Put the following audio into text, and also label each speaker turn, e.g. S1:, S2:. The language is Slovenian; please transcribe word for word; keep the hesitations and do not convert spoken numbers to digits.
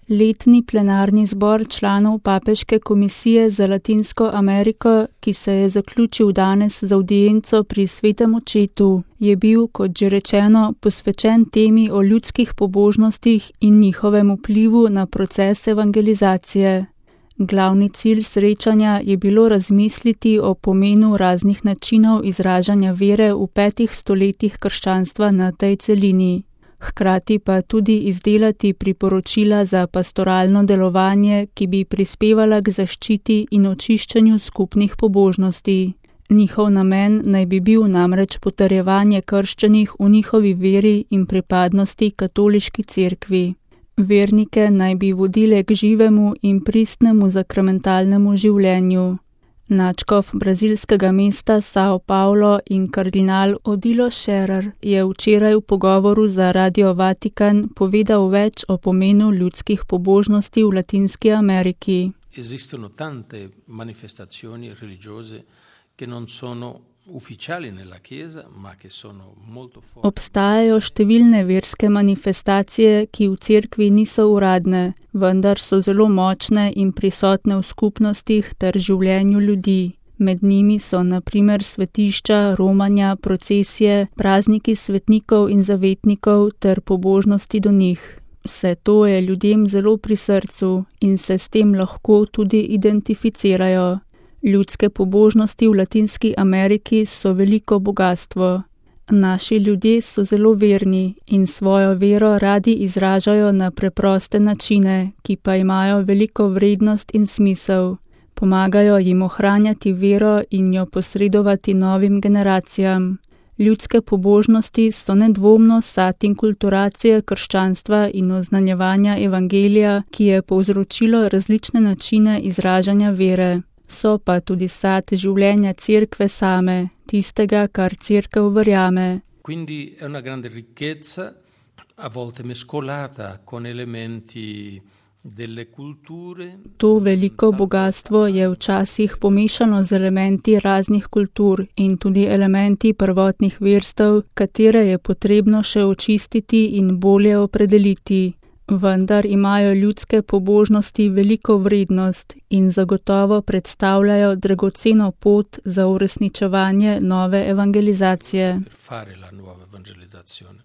S1: Letni plenarni zbor članov Papeške komisije za Latinsko Ameriko, ki se je zaključil danes z avdienco pri Svetem očetu, je bil, kot že rečeno, posvečen temi o ljudskih pobožnostih in njihovem vplivu na proces evangelizacije. Glavni cilj srečanja je bilo razmisliti o pomenu raznih načinov izražanja vere v petih stoletjih krščanstva na tej celini. Hkrati pa tudi izdelati priporočila za pastoralno delovanje, ki bi prispevala k zaščiti in očiščenju skupnih pobožnosti. Njihov namen naj bi bil namreč potrjevanje krščanih v njihovi veri in pripadnosti katoliški cerkvi. Vernike naj bi vodile k živemu in pristnemu sakramentalnemu življenju. Nadškof brazilskega mesta São Paulo in kardinal Odilo Scherer je včeraj v pogovoru za Radio Vatikan povedal več o pomenu ljudskih pobožnosti v Latinski Ameriki.
S2: Esistono tante manifestazioni religiose che non sono ufficiali nella Chiesa, ma che sono molto forti.
S1: Obstajajo številne verske manifestacije, ki v cerkvi niso uradne, vendar so zelo močne in prisotne v skupnostih ter življenju ljudi. Med njimi so na primer svetišča, romanja, procesije, prazniki svetnikov in zavetnikov ter pobožnosti do njih. Vse to je ljudem zelo pri srcu in se s tem lahko tudi identificirajo. Ljudske pobožnosti v Latinski Ameriki so veliko bogatstvo. Naši ljudje so zelo verni in svojo vero radi izražajo na preproste načine, ki pa imajo veliko vrednost in smisel. Pomagajo jim ohranjati vero in jo posredovati novim generacijam. Ljudske pobožnosti so nedvomno sad inkulturacije krščanstva in oznanjevanja evangelija, ki je povzročilo različne načine izražanja vere. So pa tudi sad življenja cerkve same, tistega, kar cerkev verjame.
S2: Quindi è una grande ricchezza, a volte mescolata con elementi delle culture.
S1: To veliko bogatstvo je včasih pomešano z elementi raznih kultur in tudi elementi prvotnih verstev, katere je potrebno še očistiti in bolje opredeliti. Vendar imajo ljudske pobožnosti veliko vrednost in zagotovo predstavljajo dragoceno pot za uresničevanje nove evangelizacije.
S2: Per fare la nuova evangelizzazione.